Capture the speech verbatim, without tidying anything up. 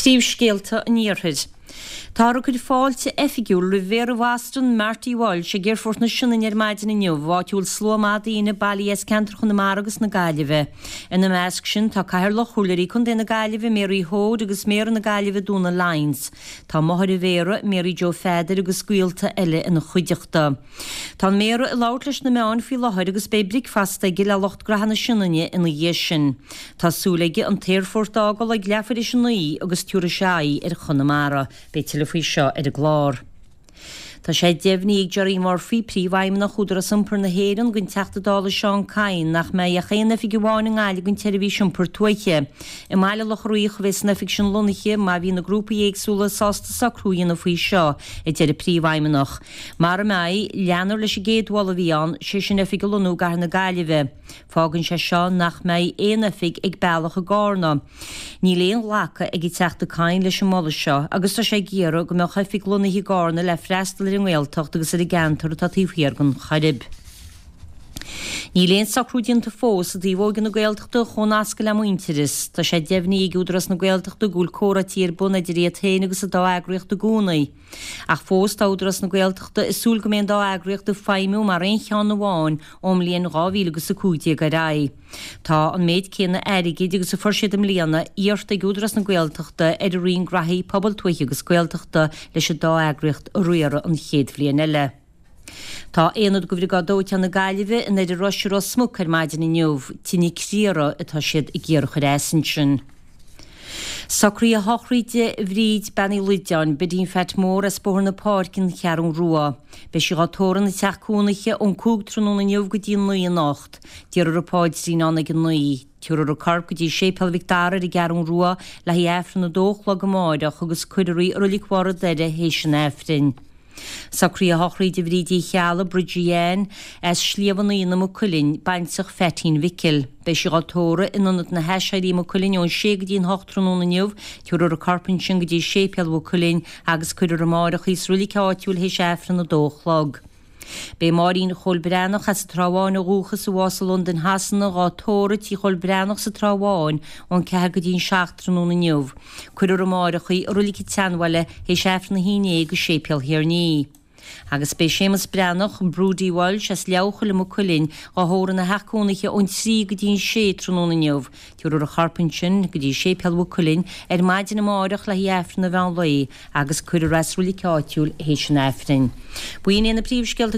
Príomhscéalta an Iarthair. Táthar ag cur fáilte oifigiúil roimh Mhéara Bhoston, Marty Walsh, ag Aerfort na Sionainne ar maidin inniu, áit a bhfuil slua maith daoine bailithe as ceantar Chonamara agus na Gaillimhe. Ina measc sin tá Cathaoirleach Chomhairleoirí Contae na Gaillimhe, Mary Hoade agus Méara na Gaillimhe Donal Lyons. Tá máthair an Mhéara, Mary Joe Pheadair agus gaolta eile ina chuideachta. Tá an Méara ag labhairt leis na meáin faoi láthair agus beidh bricfeasta aige le lucht gnaithe na Sionainne ina dhiaidh sin. Tá súil aige an t-aerfort a fhágáil ag leathuair théis a naoi agus tabharfaidh sé aghaidh ar Chonamara. Beidh tuilleadh faoi seo ar an gclár. Tá sé deimhnithe ag Gerry Murphy, príomhfheidhmeannach Údarás Iompair na hÉireann don Teachta Dála Seán Kyne nach mbeidh ach aon oifig amháin i nGaillimh don tseirbhís iompair tuaithe. I mBaile Locha Riach a bheas an oifig sin lonnaithe má bhí na grúpaí éagsúla sásta socrú a dhéanamh faoi seo, a deir an príomhfheidhmeannach. Mara mbeidh, leanfar leis an gcéad mholadh a bhí ann, sé sin oifig a lonnú i gcathair na Gaillimhe. Fágann sé seo nach mbeidh aon oifig ag Bealach i gCarna. Níl aon ghlacadh ag an Teachta Kyne leis an moladh seo agus tá sé ag iarraidh go mbeadh oifig lonnaithe i gCarna le freastal ar an nGaeltacht agus ar an gceantar atá taobh thiar den Choirib. Níl aon socrú déanta fós i dtaobh Óige na Gaeltachta a chomhnascadh le Muintearas. Tá sé deimhnithe ag Údarás na Gaeltachta go bhfuil comhráití ar bun idir iad féin agus an dá eagraíocht i gcónaí. Ach fós tá Údarás na Gaeltachta ag súil go mbeidh an dá eagraíocht ag feidhmiú mar aon cheann amháin ón mbliain dhá mhíle agus a cúig déag ar aghaidh. Tá an méid céanna airgid agus a fuair siad i mbliana iarrta ag Údarás na Gaeltachta ar an Roinn Graithí Pobail Tuaithe agus Gaeltachta leis an dá eagraíocht a riaradh an chéad bhliain eile. Tá Aonad de Bhriogáid Dóiteáin na Gaillimhe in Doire Rois i Ros Muc ar maidin inniu. Tine criara atá siad ag iarraidh a chur as ansin. Socruithe sochraide Bhríd Bean Uí Loideáin, Bidín Pheait Mór as Bóthar na Páirce, An Cheathrú Rua. Beidh sí dhá tórramh ina teach cónaithe ón cúig tráthnóna inniu go dtí a naoi anocht. Déarfar an paidrín ann ag a naoi. Tabharfar a corp go dtí Séipéal Mhic Dara ar an gCeathrú Rua le haghaidh Aifreann a dó a chlog amáireach agus cuirfear í i Roilig Bharr an Doire théis an Aifrinn. Socruithe sochraide Bhríd Uí Cheallaigh, Bridgie Ann, as Sliabh an Fhíona, Maigh Cuilinn, baintreach Pheaitín Mhicil. Beidh sí dhá tórramh in Ionad na hAiséirí, Maigh Cuilinn ón sé go dtí an hocht tráthnóna inniu. Tabharfar a corp ansin go dtí Séipéal Mhaigh Cuilinn agus cuirfear amáireach í sa roilig áitiúil théis Aifreann a dó a chlog. Beidh Máirín Chóil Breathnach as an Trá Bháin ó dhúchas a bhásaigh i Londain Shasana dhá tórramh tí Chóil Breathnach sa Trá Bháin ón ceathair go dtí an seacht tráthnóna inniu. Cuirfear amáireach í i Roilig an tSeanbhaile théis Aifreann a haon déag i Séipéal Thirní. Agus beidh Séamus Breathnach, Brody Walsh as Leabhchoill i Maigh Cuilinn dhá thórramh ina theach cónaithe ón trí go dtí an sé tráthnóna inniu. Tabharfar a chorp ansin go dtí Séipéal Mhaigh Cuilinn ar maidin amáireach le haghaidh Aifreann an mheán lae agus cuirfear é sa roilig áitiúil théis an Aifrinn. B'in iad na príomhscéalta